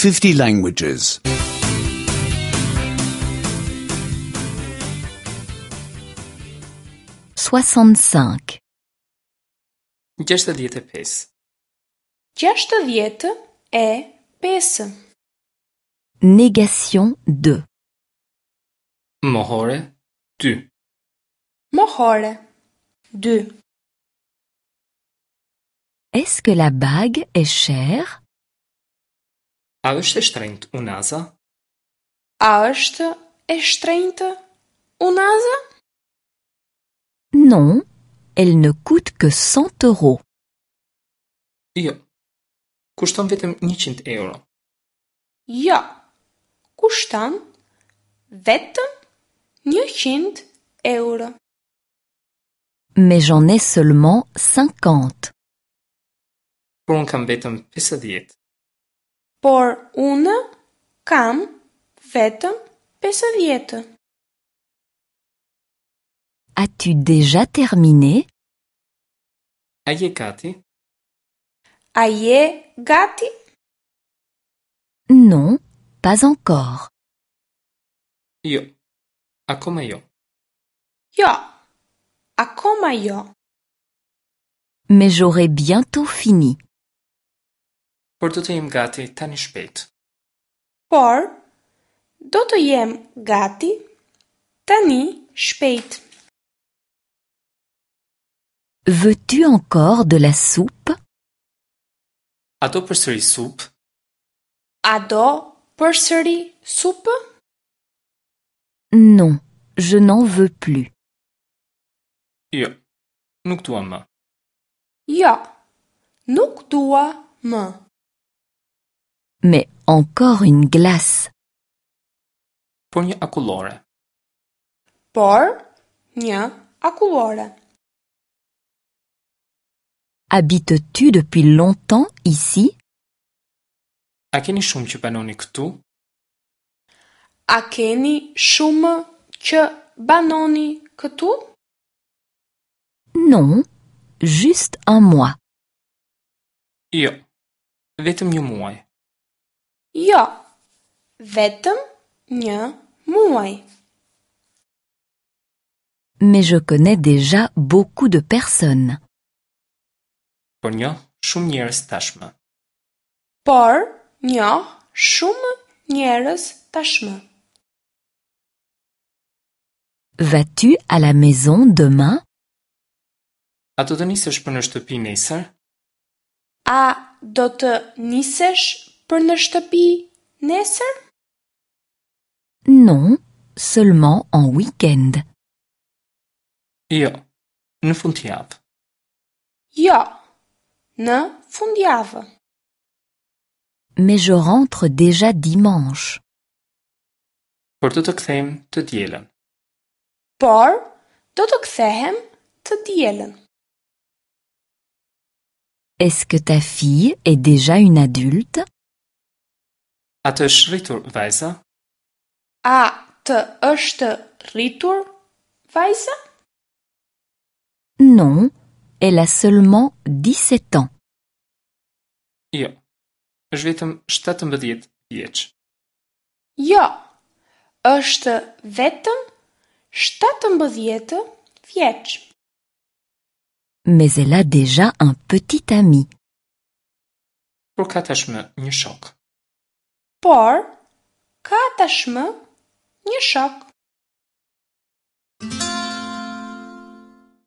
50 languages. 65. 65. 65. Négation 2. Mohore 2. Mohore 2. Est-ce que la bague est chère? A është e shtrenjtë unaza? A është e shtrenjtë unaza? Non, elle ne coûte que 100 euros. Jo. Kushton vetëm 100 euro. Jo. Kushton vetëm 100 euro. Mais j'en ai seulement 50. Por unë kam vetëm 50. Por unë kam vetëm 50. As-tu déjà terminé? A je gati? A je gati? Non, pas encore. Jo. Akoma jo. Jo. Akoma jo. Mais j'aurai bientôt fini. Por do të jem gati tani shpejt. Por do të jem gati tani shpejt. Veux-tu encore de la soupe? A do përsëri supë? A do përsëri supë? Non, je n'en veux plus. Jo. Nuk dua më. Jo. Nuk dua më. Mais encore une glace. Por një akullore. Por një akullore. Habites-tu depuis longtemps ici? A keni shumë që banoni këtu? A keni shumë që banoni këtu? Non, juste un mois. Jo. Vetëm një muaj. Jo. Vetëm një muaj. Mais je connais déjà beaucoup de personnes. Por njoh shumë njerëz tashmë. Por njoh shumë njerëz tashmë. Vas-tu à la maison demain? A do të nisesh për në shtëpi nesër? A do të nisesh për në shtëpi nesër? Non, seulement en week-end. Jo. Në fundjavë. Jo. Në fundjavë. Mais je rentre déjà dimanche. Por do të kthehem të dielën. Por do të kthehem të dielën. Est-ce que ta fille est déjà une adulte? A të është rritur vajza? A të është rritur vajza? Non, elle a seulement 17 ans. Jo. Është vetëm 17 vjeç. Jo. Është vetëm 17 vjeç. Mais elle a déjà un petit ami. Por ka tashmë një shok. Por ka tashmë një shok.